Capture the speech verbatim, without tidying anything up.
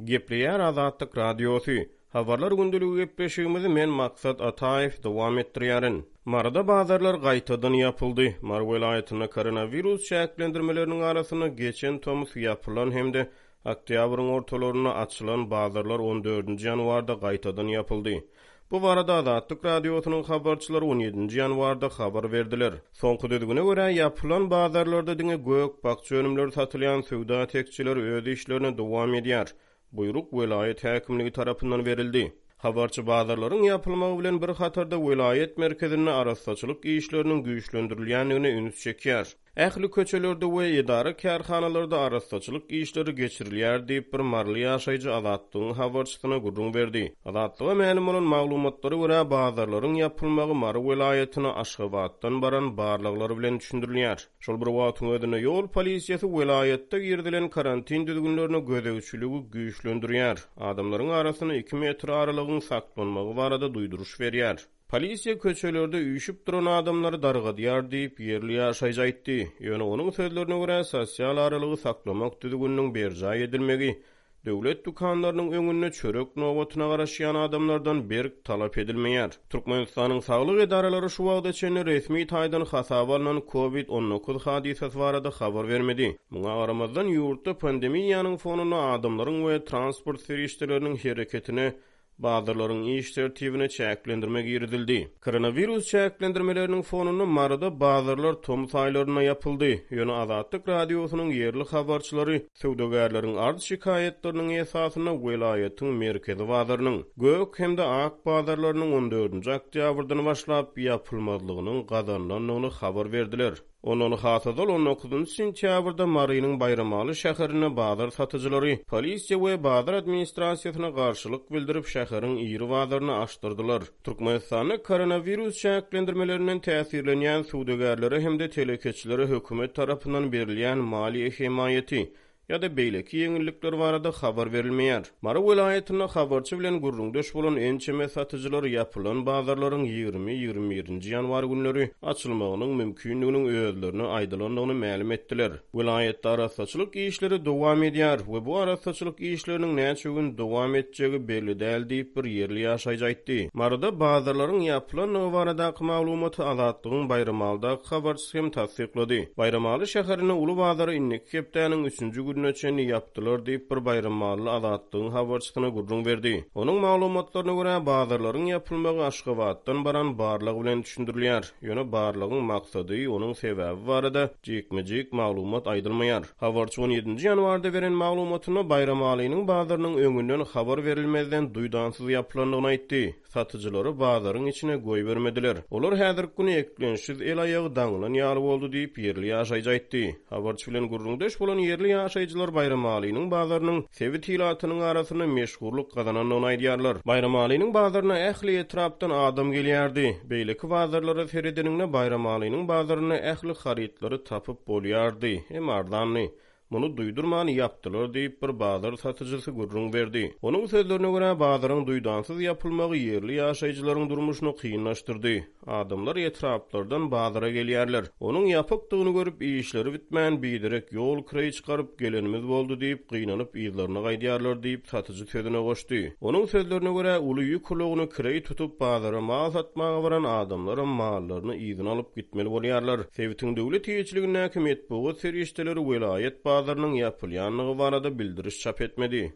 Gepleýär Azatlyk Radiosy. Habarlar gündeligi gepleşigimizi men Maksat Ataýew dowam etdirýärin. Maryda bazarlar gaýtadan ýapyldy. Mary welaýatynda koronawirus çäklendirmeleriniň arasynda geçen tomus ýapylan hem-de oktýabryň ortalarynda açylan bazarlar on dördünji ýanwarda gaýtadan ýapyldy. Bu barada Azatlyk Radiosynyň habarçylary on ýedinji ýanwarda habar berdiler. Soňky düzgüne görä, ýapylan bazarlarda diňe gök-bakja önümleri satylýan söwda tekjeleri öz işlerini dowam edýär. Buýruk welaýat häkimligi tarapyndan berildi. Habarçy bazarlaryň ýapylmagy bilen bir hatarda welaýat merkezinde arassaçylyk işleriniň güýçlendirilýändigine üns çekýär. Ähli köçelerde we edara-kärhanalarda arassaçylyk işleri geçirilýär diýip, bir maryly ýaşaýjy Azatlygyň habarçysyna gürrüň berdi. Azatlyga mälim bolan maglumatlara görä, bazarlaryň ýapylmagy Mary welaýatyna Aşgabatdan baran barlaglar bilen düşündirilýär. Şol bir wagtyň özünde, ýol polisiýasy welaýatda girizilen karantin düzgünlerine gözegçiligi güýçlendirýär, adamlaryň arasynda iki metr aralygyň saklanmagy barada duýduryş berýär. Polisiýa köçelerde üýşüp duran adamlary dargadýar diýip, ýerli ýaşaýjy aýtdy. Ýöne onuň sözlerine görä, sosial aralygy saklamak düzgüniniň berjaý edilmegi döwlet dükanlarynyň öňünde çörek nobatyna garaşýan adamlardan berk talap edilmeýär. Türkmenistanyň saglyk edaralary şu wagta çenli resmi taýdan hasaba alnan Covid on dokuz hadysasy barada habar bermedi. Muňa garamazdan, ýurtda pandemiýanyň fonunda adamlaryň we transport serişdeleriniň hereketine bazarlaryň iş tertibine çäklendirme girizildi. Koronawirus çäklendirmeleriniň fonunda Maryda bazarlar tomus aýlarynda ýapyldy. Ýöne Azatlyk Radiosynyň ýerli habarçylary söwdagärleriň arz-şikaýatlarynyň esasynda welaýatyň merkezi bazarynyň, Gök hem-de Ak bazarlarynyň on dördünji oktýabrdan başlap ýapylmazlygynyň gazanylandygyny habar berdiler. Ondan has ozal on dokuzynjy sentýabrda Marynyň Baýramaly şäherinde bazar satyjylary polisiýa we bazar administrasiýasyna garşylyk bildirip, şäheriň iri bazaryny açdyrdylar. Türkmenistanda koronawirus çäklendirmelerinden täsirlenýän söwdagärlere hem-de telekeçilere hökümet tarapyndan berilýän maliýe hemaýaty ýa-da beýleki ýeňillikler barada habar berilmeýär. Mary welaýatynda habarçy bilen gürrüňdeş bolan ençeme satyjylar ýapylan bazarlaryň ýigrimi-ýigrimi birinji ýanwar günleri açylmagynyň mümkindiginiň özlerine aýdylandygyny mälim etdiler. Welaýatda arassaçylyk işleri dowam edýär we bu arassaçylyk işleriniň näçe gün dowam etjegi belli däl diýip, bir ýerli ýaşaýjy aýtdy. Maryda bazarlaryň ýapylandygy baradaky maglumaty Azatlygyň Baýramalydaky habarçysy hem tassyklady. Baýramaly şäherinde uly bazary indiki hepdäniň üçünji gününe çenli ýapdylar diýip, bir baýramaly Azatlygyň habarçysyna gürrüň berdi. Onuň maglumatlaryna görä, bazarlaryň ýapylmagy Aşgabatdan baran barlag bilen düşündirilýär. Ýöne barlagyň maksady, onuň sebäbi barada jikme-jik maglumat aýdylmaýar. Habarçy on ýedinji ýanwarda beren maglumatynda Baýramalynyň bazarynyň öňünden habar berilmezden duýdansyz ýapylandygyny aýtdy. Satyjylary bazaryň içine goýbermediler. Olar häzirki güni eklençsiz el-aýagy daňylan ýaly boldy diýip, ýerli ýaşaýjy aýtdy. Habarçy bilen gürrüňdeş bolan ýerli ýaşaýjylar Baýramalynyň bazarynyň sebit ilatynyň arasynda meşhurlyk gazanandygyny aýdýarlar. Baýramalynyň bazaryna ähli etrapdan adam gelýärdi. Beýleki bazarlara seredeniňde Baýramalynyň bazarynda ähli harytlary tapyp bolýardy, hem arzandy. Muny duýdurman ýapdylar diýip, bir bazar satyjysy gürrüň berdi. Onuň sözlerine görä, bazaryň duýdansyz ýapylmagy ýerli ýaşaýjylaryň durmuşyny kynlaşdyrdy. Adamlar etraplardan bazara gelýärler. Onuň ýapykdygyny görüp, işleri bitmän, biderek ýol kireý çykaryp gelenimiz boldy diýip, gynanyp yzlaryna gaýdýarlar diýip, satyjy sözüne goşdy. Onuň sözlerine görä, uly ýük ulagyny kireý tutup, bazara mal satmaga baran adamlaram mallaryny yzyna alyp gitmeli bolýarlar. Sebitiň döwlet eýeçiligindäki metbugat serişdeleri welaýat bazarynyň ýapylýandygy barada bildiriş çap etmedi.